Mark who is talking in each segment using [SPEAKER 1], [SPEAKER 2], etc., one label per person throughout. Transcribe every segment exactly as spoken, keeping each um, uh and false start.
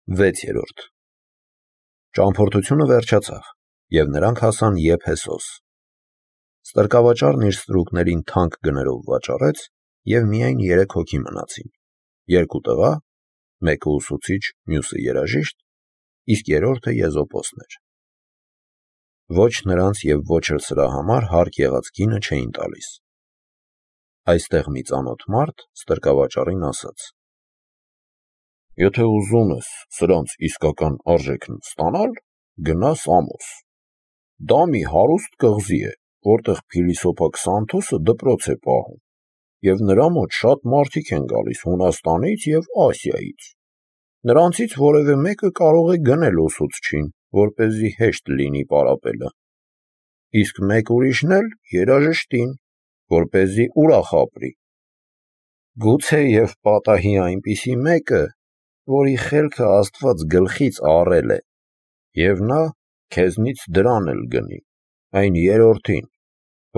[SPEAKER 1] վեցերորդ Ճամփորդությունը վերջացավ, և նրանք հասան Եփեսոս։ Ստրկավաճառն իր ստրուկներին թանկ գներով վաճառեց, և միայն երեք հոգի մնացին, երկու տղա, մեկը ուսուցիչ, մյուսը երաժիշտ, իսկ երրորդը Եզոպոսն էր։ Ոչ նրանց և ոչ էլ սրա համար հարկ եղած գինը չէին տալիս։ Այստեղ մի ծանոթ մարդ ստրկավաճառին ասաց. «Եթե ուզում ես սրանց իսկական արժեքն ստանալ, գնա Սամոս։ Դա մի հարուստ կղզի է, որտեղ փիլիսոփա Քսանթոսը դպրոց է պահում, և նրա մոտ շատ մարդիկ են գալիս Հունաստանից և Ասիայից։ Նրանցից որևէ մեկը կարող է գնել ուսուցչին, որպեսզի հեշտ լինի պարապելը, իսկ մեկ ուրիշն էլ երաժշտին, որպեսզի ուրախ ապրի։ Գուցե և պատահի այնպիսի մեկը, որի խելքը Աստված գլխից առել է, և նա քեզնից դրան էլ գնի, այն երրորդին,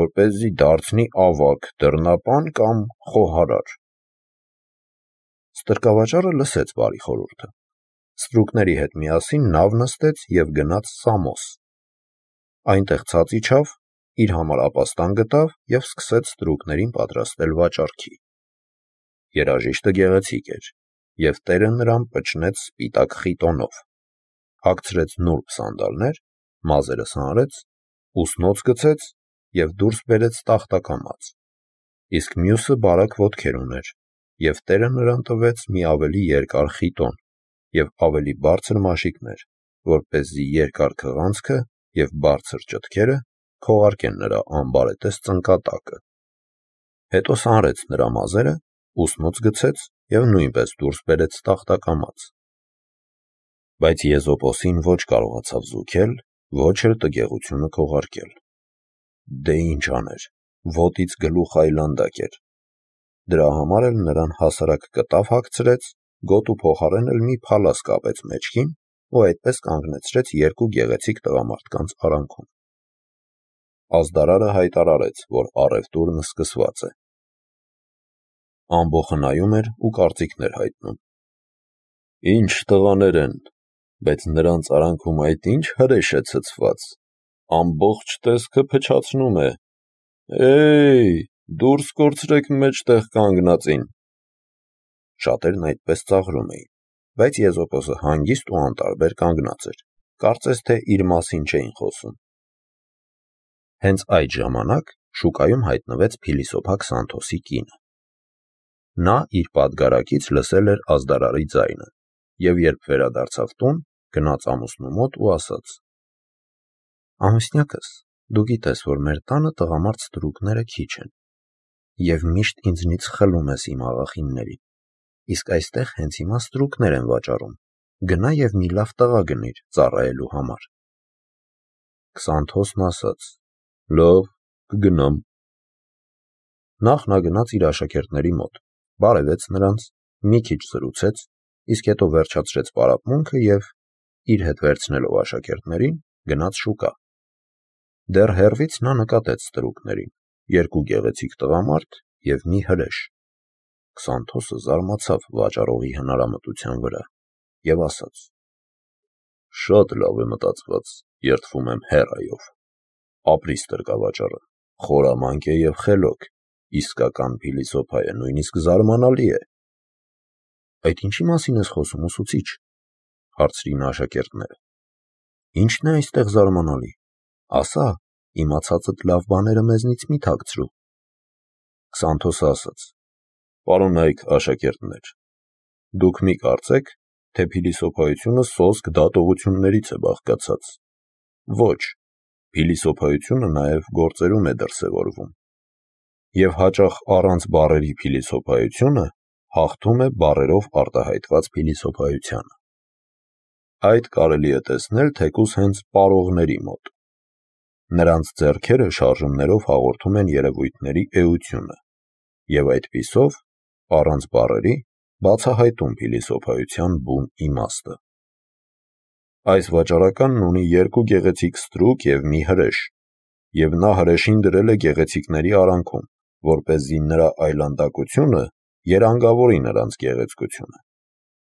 [SPEAKER 1] որպեսզի դարձնի ավագ, դռնապան կամ խոհարար»։ Ստրկավաճառը լսեց բարի խորհուրդը, ստրուկների հետ միասին նավ նստեց և գնաց Սամոս։ Այնտեղ ցած իջավ, իր համար ապաստան գտավ և սկսեց ստրուկներին պատրաստել վաճառքի։ Երաժիշտը գեղեցիկ էր, և տերը նրան պչնեց սպիտակ խիտոնով, հագցրեց նուրբ սանդալներ, մազերը սանրեց, ուսնոց գցեց և դուրս բերեց տախտակամաց, իսկ մյուսը բարակ ոտքեր ուներ, և տերը նրան տվեց մի ավելի երկար խիտոն և ավելի բարձր մաշիկներ, որպեսզի երկար քղանցքը և բարձր ճտքերը քողարկեն նրա անբարետես ծնկատակը։ Հետո սանրեց նրա մազերը, ուսնոց գցեց և նույնպես դուրս բերեց տախտակամաց։ Բայց Եզոպոսին ոչ կարողացավ զուգել, ոչ էլ տգեղությունը քողարկել։ Դե ինչ աներ, ոտից գլուխ այլանդակ էր։ Դրա համար էլ նրան հասարակ կտավ հագցրեց, գոտու փոխարեն էլ մի փալաս կապեց մեջքին ու այդպես կանգնեցրեց երկու գեղեցիկ տղամարդկանց արանքում։ Ազդարարը հայտարարեց, որ առևտուրն սկսված է։ Ամբոխը նայում էր ու կարծիքներ հայտնում. «Ինչ տղաներ են, բայց նրանց արանքում այդ ինչ հրեշ է ցցված, ամբողջ տեսքը փչացնում է։ Է՜յ, դուրս կորցրեք մեջտեղ կանգնածին»։ Շատերն այդպես ծաղրում էին, բայց Եզոպոսը հանգիստ ու անտարբեր կանգնած էր, կարծես թե իր մասին չէին խոսում։ Հենց այդ ժամանակ շուկայում հայտնվեց փիլիսոփա Քսանթոսի կինը։ Նա իր պատգարակից լսել էր ազդարարի ձայնը, և երբ վերադարձավ տուն, գնաց ամուսնու մոտ ու ասաց. «Ամուսնյակս, դու գիտես, որ մեր տանը տղամարդ ստրուկները քիչ են, և միշտ ինձնից խլում ես իմ աղախիններին, իսկ այստեղ հենց հիմա ստրուկներ են վաճառում, գնա և մի լավ տղա գնիր ծառայելու համար»։ Քսանթոսն ասաց. «Լավ, կգնամ»։ Նախ նա գնաց իր աշակերտների մոտ, բարևեց նրանց, մի քիչ զրուցեց, իսկ հետո վերջացրեց պարապմունքը և, իր հետ վերցնելով աշակերտներին, գնաց շուկա։ Դեռ հեռվից նա նկատեց ստրուկներին, երկու գեղեցիկ տղամարդ և մի հրեշ։ Քսանթոսը զարմացավ վաճառողի հնարամտության վրա և ասաց. «Շատ լավ է մտածված, երդվում եմ հեռայով։ Ապրի ստրկավաճառը, խորամանկ է և խելոք, իսկական փիլիսոփա է, նույնիսկ զարմանալի է»։ «Այդ ինչի մասին ես խոսում, ուսուցիչ», հարցրին աշակերտները։ «Ի՞նչն է այստեղ զարմանալի, ասա, իմացածդ լավ բաները մեզնից մի թաքցրու»։ Քսանթոսը ասաց. «Պարոնայք աշակերտներ, դուք մի կարծեք, թե փիլիսոփայությունը սոսկ դատողություններից է բաղկացած։ Ոչ, փիլիսոփայությունը նաև գործերում է դրսևորվում, և հաճախ առանց բառերի փիլիսոփայությունը հաղթում է բառերով արտահայտված փիլիսոփայությանը։ Այդ կարելի է տեսնել թեկուզ հենց պարողների մոտ։ Նրանց ձեռքերը շարժումներով հաղորդում են երևույթների էությունը և այդպիսով, առանց բառերի, բացահայտում փիլիսոփայության բուն իմաստը։ Այս վաճառականն ունի երկու գեղեցիկ ստրուկ և մի հրեշ, և նա հրեշին դրել է գեղեցիկների արանքում, որպեսզի նրա այլանդակությունը երանգավորի նրանց գեղեցկությունը,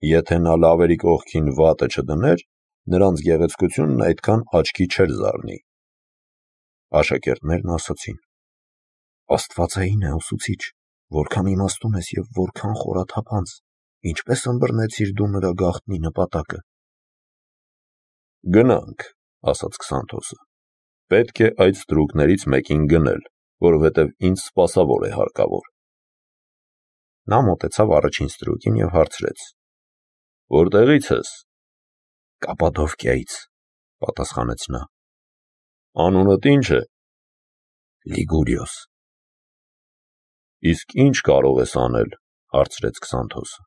[SPEAKER 1] Եթե նա լավերի կողքին վատը չդներ, նրանց գեղեցկությունն այդքան աչքի չէր զարնի։ Աշակերտներն ասացին. Աստվածային է, ուսուցիչ, որքան իմաստուն ես և որքան խորաթափանց, ինչպես ըմբռնեցիր դու նրա գաղտնի նպատակը։ Գնանք, ասաց Քսանթոսը, պետք է այդ ստրուկներից մեկին գնել, որովհետև ինձ սպասավոր է հարկավոր։ Նա մոտեցավ առաջին ստրուկին և հարցրեց. Որտեղից ես։ Կապադովկիայից, պատասխանեց նա։ Անունդ ի՞նչ է։ Լիգուրիոս։ Իսկ ի՞նչ կարող ես անել, հարցրեց Քսանթոսը։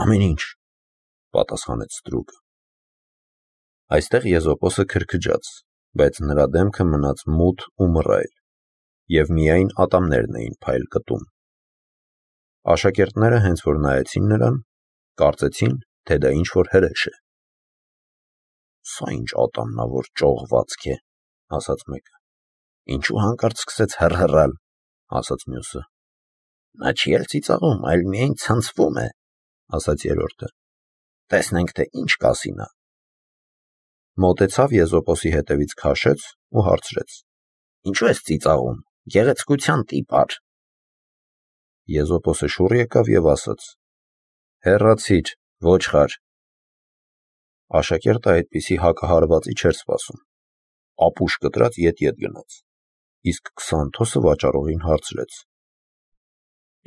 [SPEAKER 1] Ամեն ինչ, պատասխանեց ստրուկը։ Այստեղ Եզոպոսը քրքջաց, բայց նրա դեմքը մնաց մութ ու մռայլ, և միայն ատամներն էին փայլ կտում։ Աշակերտները հենց որ նայեցին նրան, կարծեցին, թե դա ինչ-որ հրեշ է։ Սա ինչ ատամնավոր ճողվածք է, ասաց մեկը։ Ինչու հանկարծ սկսեց հռհռալ, ասաց մյուսը։ Նա չի էլ ծիծաղում, այլ միայն ցնցվում է, ասաց երրորդը։ Տեսնենք, թե ինչ կասի նա։ Մոտեցավ Եզոպոսի հետևից քաշեց ու հարցրեց. Ինչու ես ծիծաղում, գեղեցկության տիպար։ Եզոպոսը շուռ եկավ և ասաց. Հեռացիր, ոչխար։ Աշակերտը այդպիսի հակահարվածի չէր սպասում։ Ապուշ կտրած ետ-ետ գնաց, իսկ Քսանթոսը վաճառողին հարցրեց.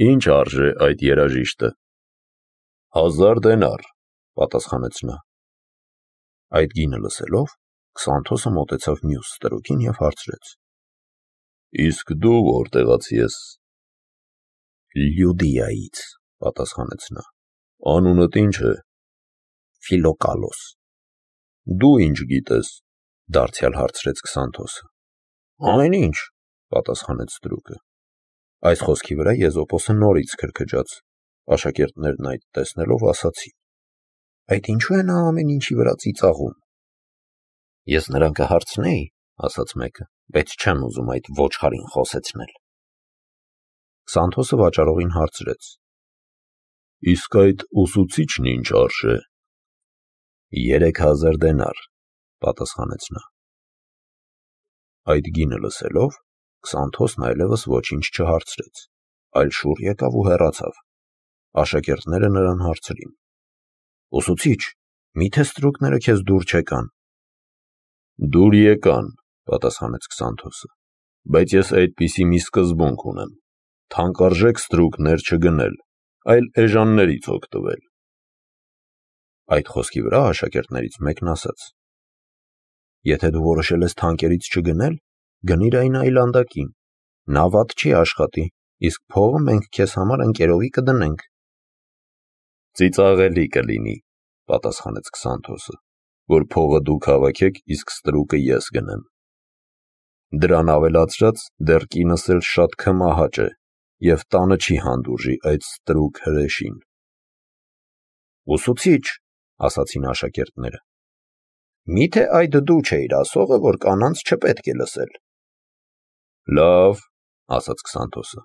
[SPEAKER 1] Ինչ արժե այդ երաժիշտը։ Հազար դենար, պատասխանեց նա։ Այդ գինը լսելով, Քսանթոսը մոտեցավ մյուս ստրուկին և հարցրեց. Իսկ դու որտեղացի ես։ Լյուդիայից, պատասխանեց նա։ Անունդ ի՞նչ է։ Ֆիլոկալոս։ Դու ինչ գիտես, դարձյալ հարցրեց Քսանթոսը։ Ամեն ինչ, պատասխանեց ստրուկը։ Այս խոսքի վրա Եզոպոսը նորից քրքջաց։ Աշակերտներն այդ տեսնելով ասացին. Այդ ինչու է նա ամեն ինչի վրա ծիծաղում։ Ես նրան կհարցնեի, ասաց մեկը, բայց չեմ ուզում այդ ոչխարին խոսեցնել։ Քսանթոսը վաճառողին հարցրեց. Իսկ այդ ուսուցիչն ինչ արժե։ Երեք հազար դենար, պատասխանեց նա։ Այդ գինը լսելով, Քսանթոսն այլևս ոչինչ չհարցրեց, այլ շուռ եկավ ու հեռացավ։ Աշակերտները նրան հարցրին. Ուսուցիչ, միթե ստրուկները քեզ դուր չեկան։ Դուր եկան, պատասխանեց Քսանթոսը, բայց ես այդպիսի մի սկզբունք ունեմ. թանկարժեք ստրուկներ չգնել, այլ էժաններից օգտվել։ Այդ խոսքի վրա աշակերտներից մեկն ասաց. Եթե դու որոշել ես թանկերից չգնել, գնիր այն այլանդակին, նա վատ չի աշխատի, իսկ փողը մենք քեզ համար ընկերովի կդնենք։ Ծիծաղելի կլինի, պատասխանեց Քսանթոսը, որ փողը դուք հավաքեք, իսկ ստրուկը ես գնեմ։ Դրան ավելացրած, դեռ կինս էլ շատ քմահաճ է, և տանը չի հանդուրժի այդ ստրուկ հրեշին։ Ուսուցիչ, ասացին աշակերտները, միթե այդ դու չէիր ասողը, որ կանանց չպետք է լսել։ Լավ, ասաց Քսանթոսը,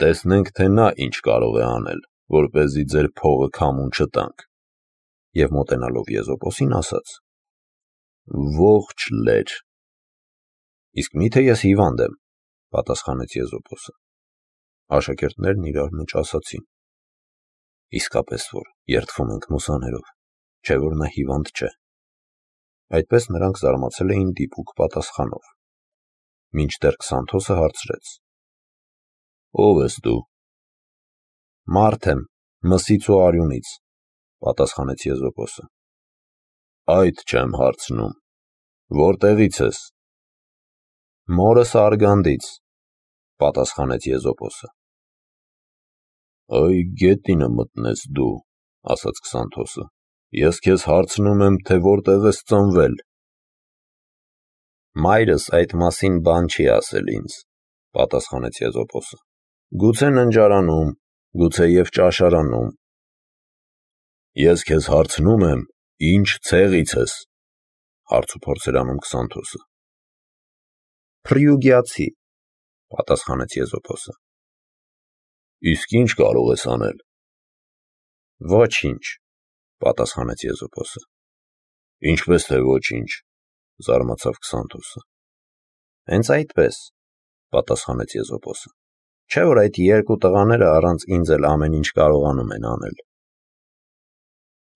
[SPEAKER 1] տեսնենք, թե նա ինչ կարող է անել, որպեսզի ձեր փողը քամուն չտանք։ Եվ մոտենալով Եզոպոսին ասաց. Ողջ լեր։ Իսկ միթե ես հիվանդ եմ, պատասխանեց Եզոպոսը։ Աշակերտներն իրար մեջ ասացին. Իսկապես որ երդվում ենք մուսաներով, չէ որ նա հիվանդ չէ։ Այդպես նրանք զարմացել էին դիպուկ պատասխանով։ Մինչդեռ Քսանթոսը հարցրեց. Ո՞վ ես դու։ Մարդ եմ, Մսից ու Արյունից, պատասխանեց Եզոպոսը։ Այդ չեմ հարցնում, որտեղից ես։ Մորս Արգանդից, պատասխանեց Եզոպոսը։ Այ գետինը մտնես դու, ասաց Քսանթոսը, ես քեզ հարցնում եմ, թե որտեղ ես ծնվել։ Մայրս այդ մասին բան չի ասել ինձ, պատասխանեց Եզոպոսը։ Գուցե ննջարանում, գուցե և ճաշարանում։ Ես քեզ հարցնում եմ, ինչ ցեղից ես, հարցուփորձ էր անում Քսանթոսը։ Փրիուգիացի, պատասխանեց Եզոպոսը։ Իսկ ինչ կարող ես անել։ Ոչինչ, պատասխանեց Եզոպոսը։ Ինչպես թե ոչինչ, զարմացավ Քսանթոսը։ Հենց այդպես, պատասխանեց Եզոպոսը։ Չէ՞ որ այդ երկու տղաները առանց ինձ էլ ամեն ինչ կարողանում են անել։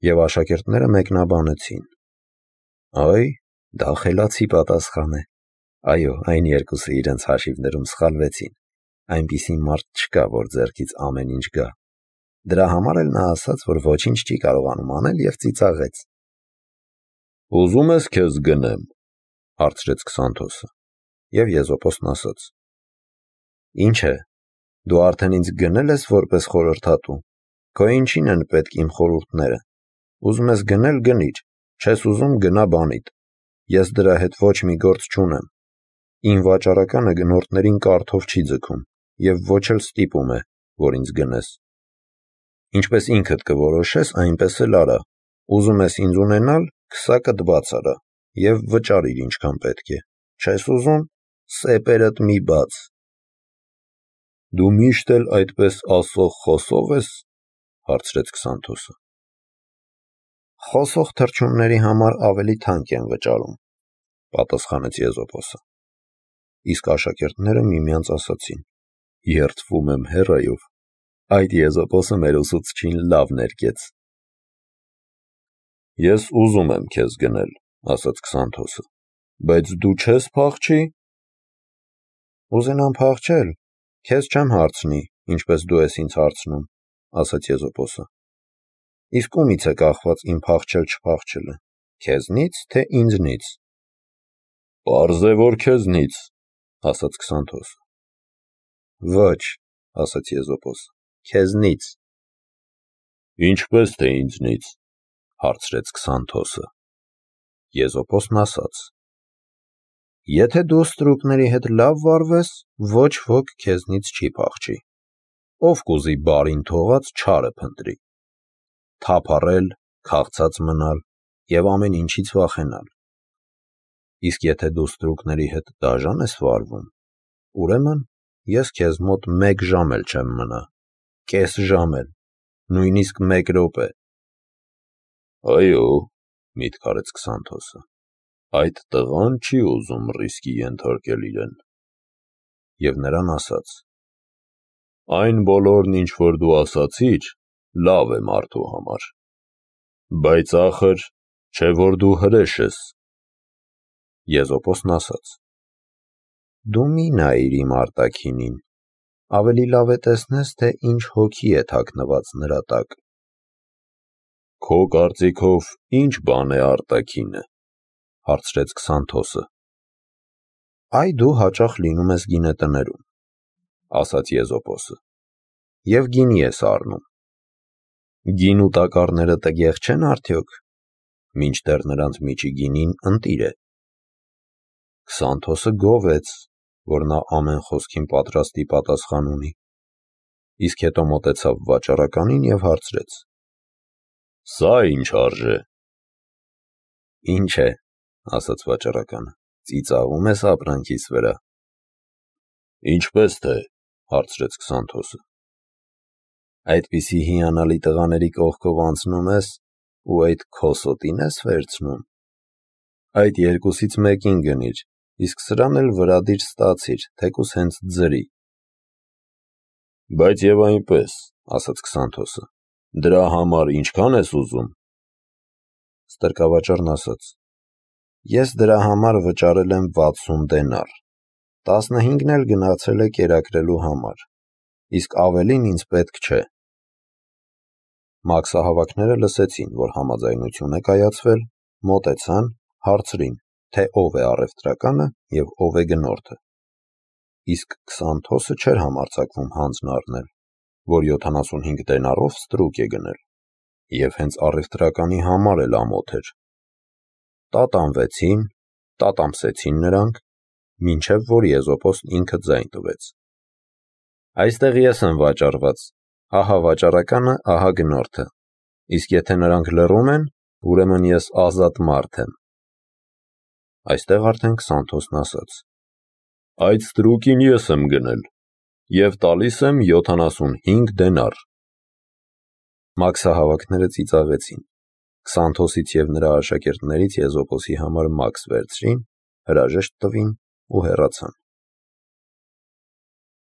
[SPEAKER 1] Եվ աշակերտները մեկնաբանեցին. Այ, դա խելացի պատասխան է։ Այո, այն երկուսը իրենց հաշիվներում սխալվեցին։ Այնպիսի մարդ չկա, որ ձեռքից ամեն ինչ գա։ Դրա համար էլ նա ասաց, որ ոչինչ չի կարողանում անել և ծիծաղեց։ Ուզում ես քեզ գնեմ, հարցրեց Քսանթոսը, և Եզոպոսն ասաց. Ինչ է, դու արդեն ինձ գնել ես որպես խորհրդատու, քո ինչին են պետք իմ խորհուրդները, ուզում ես գնել գնիր, չես ուզում գնա բանիդ, ես դրա հետ ոչ մի գործ չունեմ, իմ վաճառականը գնորդներին կարթով չի ձգում և ոչ էլ ստիպում է, որ ինձ գնես։ Ինչպես ինքդ կորոշես, այնպես էլ արա, ուզում ես ինձ ունենալ, քսակդ բաց արա և վճարիր ինչքան պետք է, չես ուզում, սեպերդ մի բաց։ Դու միշտ էլ այդպես ասող խոսող ես, հարցրեց Քսանթոսը։ Խոսող թռչունների համար ավելի թանկ են վճարում, պատասխանեց Եզոպոսը։ Իսկ աշակերտները միմյանց ասացին. Երդվում եմ հեռայով, այդ Եզոպոսը մեր ուսուցչին լավ ներկեց։ Ես ուզում եմ քեզ գնել, ասաց Քսանթոսը, բայց դու չես փախչի։ Ուզենամ փախչել, քեզ չեմ հարցնի, ինչպես դու ես ինձ հարցնում, ասաց Եզոպոսը։ Իսկ ումից է կախված իմ փախչել-չփախչելը, քեզնից, թե ինձնից։ Պարզ է, որ քեզնից, ասաց Քսանթոսը։ Ոչ, ասաց Եզոպոսը, քեզնից։ Ինչպես թե ինձնից, հարցրեց Քսանթոսը։ Եզոպոսն ասաց. Եթե դու ստրուկների հետ լավ վարվես, ոչ ոք քեզնից չի փախչի։ Ով կուզի բարին թողած չարը փնտրի։ Թափառել, քաղցած մնալ և ամեն ինչից վախենալ։ Իսկ եթե դու ստրուկների հետ դաժան ես վարվում, ուրեմն ես քեզ մոտ մեկ ժամ էլ չեմ մնա, կես ժամ էլ, նույնիսկ մեկ րոպե։ Այո, միտք արեց Քսանթոսը, այդ տղան չի ուզում ռիսկի ենթարկել իրեն։ Եվ նրան ասաց. Այն բոլորն, ինչ որ դու ասացիր, լավ է մարդու համար, բայց ախր, չէ որ դու հրեշ ես։ Եզոպոսն ասաց. Դու մի նայիր իմ արտաքինին, ավելի լավ է տեսնես, թե ինչ հոգի է թաքնված նրա տակ։ Քո կարծիքով ինչ բան է արտաքինը, հարցրեց Քսանթոսը։ Այ դու հաճախ լինում ես գինետներում, ասաց Եզոպոսը, և գինի ես առնում։ Գինու տակառները տգեղ չեն արդյոք, մինչդեռ նրանց միջի գինին ընտիր է։ Քսանթոսը գովեց, որ նա ամեն խոսքին պատրաստի պատասխան ունի, իսկ հետո մոտեցավ վաճառականին և հարցրեց. Սա ինչ արժե։ Ինչ է, ասաց վաճառականը, ծիծաղում ես ապրանքիս վրա։ Ինչպես թե, հարցրեց Քսանթոսը։ Այդպիսի հիանալի տղաների կողքով անցնում ես ու այդ քոսոտին ես վերցնում։ Այդ երկուսից մեկին գնիր, իսկ սրան էլ վրադիր ստացիր, թեկուզ հենց ձրի։ Բայց և այնպես, ասաց Քսանթոսը, դրա համար ինչքան ես ուզում։ Ստրկավաճառն ասաց. Ես դրա համար վճարել եմ վաթսուն դենար, տասնհինգն էլ գնացել է կերակրելու համար, իսկ ավելին ինձ պետք չէ։ Մաքսահավաքները լսեցին, որ համաձայնություն է կայացվել, մոտեցան, հարցրին, թե ով է առևտրականը և ով է գնորդը։ Իսկ Քսանթոսը չէր համարձակվում հանձն առնել, որ յոթանասունհինգ դենարով ստրուկ է գնել, և հենց առևտրականի համար էլ ամոթ էր։ Տատանվեցին, տատամսեցին նրանք, մինչև որ Եզոպոսն ինքը ձայն տվեց. Այստեղ ես եմ վաճառված, ահա վաճառականը, ահա գնորդը, իսկ եթե նրանք լռում են, ուրեմն ես ազատ մարդ եմ։ Այստեղ արդեն Քսանթոսն ասաց. Այդ ստրուկին ես եմ գնել և տալիս եմ յոթանասունհինգ դենար։ Մաքսահավաքները ծիծաղեցին։ Քսանթոսից և նրա աշակերտներից Եզոպոսի համար մաքս վերցրին, հրաժեշտ տվին ու հեռացան։